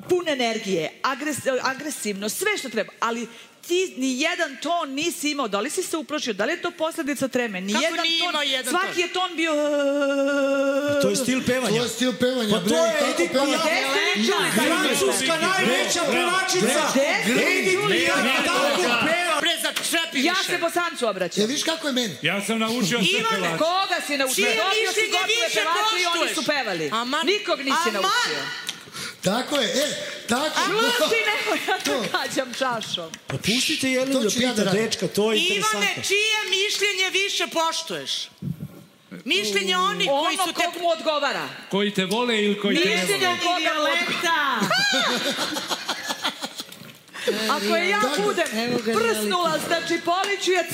pun energije, agresivno, sve što treba, ali ti ni jedan ton nisi imao. Da li si se uplašio? Da li je to posledica treme? Ni jedan ton. Svaki je ton bio... To je stil pevanja. To je stil pevanja. Pa to je Edith Piaf. Francuska najveća pevačica. Edith Piaf tako peva. Ja se Bosancu obraćam. Viš kako je meni? Ja sam naučio sve pevače. Koga si naučio? Dobio si gotove pevače i oni su pevali. Nikog nisi naučio. Tako je, tako. Šusti, nemoj, ja to gađam čašom. Pa pustite Jelenu da pita dečka, to je interesantno. Ivane, čije mišljenje više poštuješ? Mišljenje onih koji su te... Ono kog mu odgovara. Koji te vole ili koji te ne vole? Mišljenje koga mu odgovara. Ako je ja budem prsnula, znači poliću je